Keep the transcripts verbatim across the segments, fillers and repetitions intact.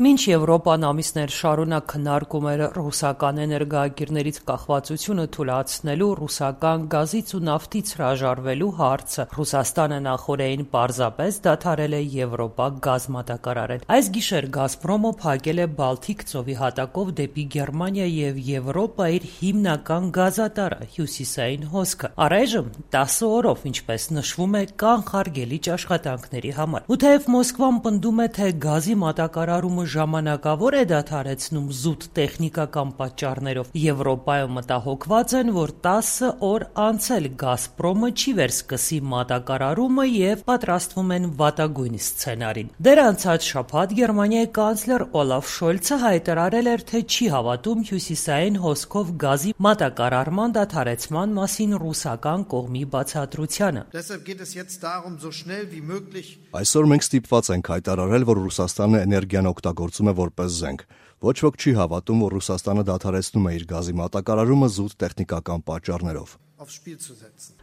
Մինչ Եվրոպան ամիսներ շարունակ քննարկում էր ռուսական էներգոակիրներից կախվածությունը թուլացնելու, ռուսական գազից ու նավթից հրաժարվելու հարցը, Ռուսաստանը նախօրեին պարզապես դադարել է Եվրոպա գազ մատակարարել։ Այս գիշեր Գազպրոմը փակել է Բալթիկ ծովի հատակով դեպի Գերմանիա եւ Եվրոպա իր հիմնական գազատարը՝ հյուսիսային հոսքը։ Առայժմ տասը օրով, ինչպես նշվում է, կանխարգելիչ աշխատանքների համար։ Ու թեև Մոսկվան պնդում է, թե գազի մատակարարումը ժամանակավոր է դադարեցնում զուտ տեխնիկական պատճառներով, Եվրոպայում մտահոգված են, որ տասը օր անցել Գազպրոմը չի վերսկսի մատակարարումը եւ պատրաստվում են վատագույն սցենարին։ Դեռ անցած շաբաթ Գերմանիայի կանցլեր Օլաֆ Շոլցը հայտարարել էր, թե չի հավատում հյուսիսային հոսքով գազի մատակարարման դադարեցման մասին ռուսական կողմի բացատրությանը։ Այսօր մենք ստիպված ենք հայտարարել, որ Ռուսաստանը էներգիան օգտագործում է որպես զենք։ Ոչ ոք չի հավատում, որ Ռուսաստանը դադարեցնում է իր գազի մատակարարումը զուտ տեխնիկական պատճառներով։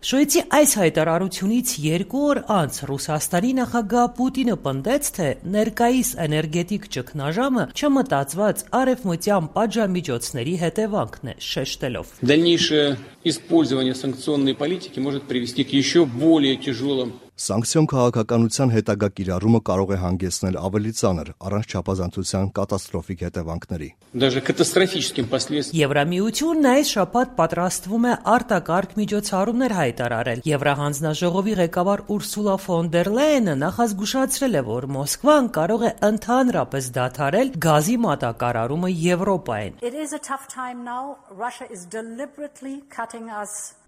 Շոյցի այս հայտարարությունից երկու օր անց Ռուսաստանի նախագահ Պուտինը պնդեց, թե ներկայիս էներգետիկ ճգնաժամը չմտածված արևմտյան պատժամիջոցների հետևանքն է, շեշտելով. Дальнейшее использование санкционной политики может привести к еще более тяжелым Սանկցիոն քաղաքականության հետագա կիրառումը կարող է հանգեցնել ավելի ծանր, առանց չափազանցության կատաստրոֆիկ հետևանքների։ Даже катастрофическим последствиям։ Եվրամիությունն այս շաբաթ պատրաստվում է արտակարգ միջոցառումներ հայտարարել։ Եվրահանձնաժողովի ղեկավար Ուրսուլա ֆոն դեր Լայենը նախազգուշացրել է, որ Մոսկվան կարող է ընդհանրապես դադարել գազի մատակարարումը Եվրոպային։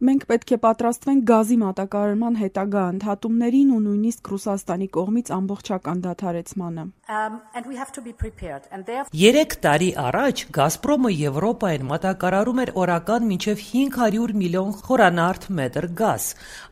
Մենք պետք է պատրաստվենք գազի մատակարարման հետագա ընդհատումներին ու նույնիսկ Ռուսաստանի կողմից ամբողջական դադարեցմանը։ Երեք տարի առաջ Գազպրոմը Եվրոպային մատակարարում էր օրական մինչև հինգ հարյուր միլիոն խորանարդ մետր գազ։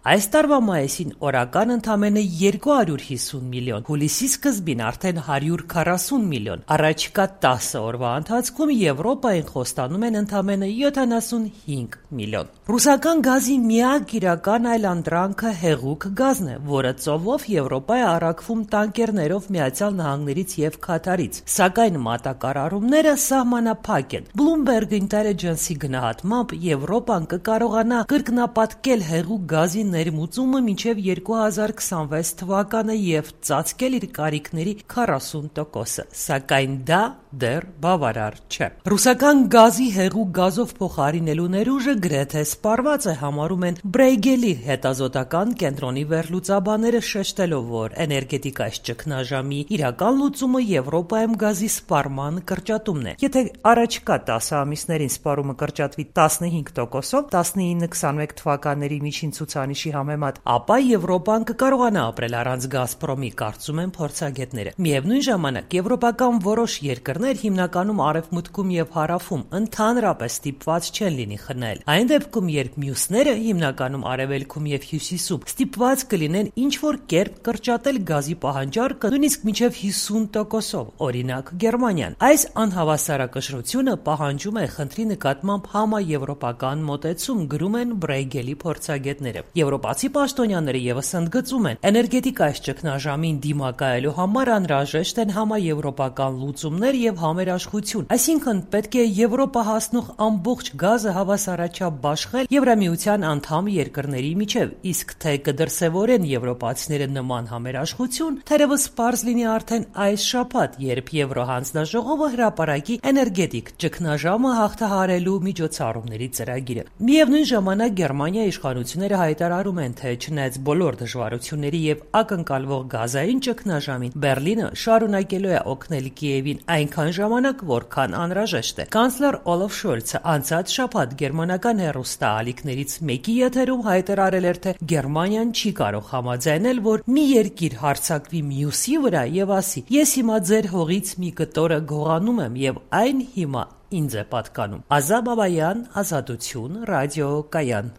Այս տարվա մայիսին օրական ընդամենը երկու հարյուր հիսուն միլիոն, հուլիսի սկզբին արդեն հարյուր քառասուն միլիոն։ Առաջիկա տասը օրվա ընթացքում Եվրոպային խոստանում են ընդամենը յոթանասունհինգ միլիոն։ Ռուսական գազի միակ իրական այլանդրանքը հեղուկ գազն է, որը ծովով Եվրոպա է առաքվում տանկերներով Միացյալ Նահանգներից եւ Քաթարից, սակայն մատակարարումները սահմանափակ են։ Bloomberg Intelligence-ի գնահատմամբ Եվրոպան կկարողանա կրկնապատկել հեղուկ գազի ներմուծումը մինչև երկու հազար քսանվեց թվականը եւ ծածկել իր կարիքների քառասուն տոկոսը, սակայն դա դեռ բավարար չէ։ Ռուսական գազի հեղուկ գազով փոխարինելու ներուժը գրեթե սպառված է, համարում են Բրեյգելի հետազոտական կենտրոնի վերլուծաբանները, շեշտելով, որ էներգետիկայի ճգնաժամի իրական լուծումը Եվրոպայում գազի սպառման կրճատումն է։ Եթե առաջիկա տասը ամիսներին սպառումը կրճատվի տասնհինգ տոկոսով տասնինը քսանմեկ թվականների միջին ցուցանիշի համեմատ, ապա Եվրոպան կկարողանա ապրել առանց Գազպրոմի, կարծում են փորձագետները։ Միևնույն ժամանակ եվրոպական որոշ երկրներ, հիմնականում արևմուտքում եւ հարավում, ընդհանրապես ստիպված չեն լինի խնայել։ Այն դեպքում, երբ մյուսները, հիմնականում արևելքում եւ հյուսիսում, ստիպված կլինեն ինչ-որ կերպ կրճատել գազի պահանջարկը նույնիսկ մինչև հիսուն տոկոսով, օրինակ Գերմանիան։ Այս անհավասարակշռությունը պահանջում է խնդրի նկատմամբ համաեվրոպական մոտեցում, գրում են Բրեյգելի փորձագետները։ Եվրոպացի պաշտոնյաները եւս ընդգծում են, էներգետիկայի ճգնաժամին դիմակայելու համար անհրաժեշտ են համաեվրոպական լուծումներ եւ համերաշխություն, այսինքն պետք է Եվրոպա հասնող ամբողջ գազը հավասարաչափ բաշխել Եվրամիության անդամ երկրների միջև, իսկ թե կդրսևորեն եվրոպացիները նման համերաշխություն, թերևս պարզ լինի արդեն այս շաբաթ, երբ Եվրոհանձնաժողովը հրապարակի էներգետիկ ճգնաժամը հաղթահարելու միջոցառումների ծրագիրը։ Միևնույն ժամանակ Գերմանիայի իշխանությունները հայտարարում են, թե չնայած բոլոր դժվարությունների եւ ակնկալվող գազային ճգնաժամին, Բերլինը շարունակելու է օգնել Կիևին այնքան ժամանակ, որքան անհրաժեշտ է։ Կանցլեր Օլաֆ Շոլցը անցած շաբաթ գերմանական հեռուստաալիքներից մեկի եթերում հայտարարել էր, թե Գերմանիան չի կարող համաձայնել, որ մի երկիր հարձակվի մյուսի վրա եւ ասի. «Ես հիմա ձեր հողից մի կտորը գողանում եմ եւ այն հիմա ինձ է պատկանում»։ Ազա Բաբայան, Ազատություն, Ռադիո Կայան։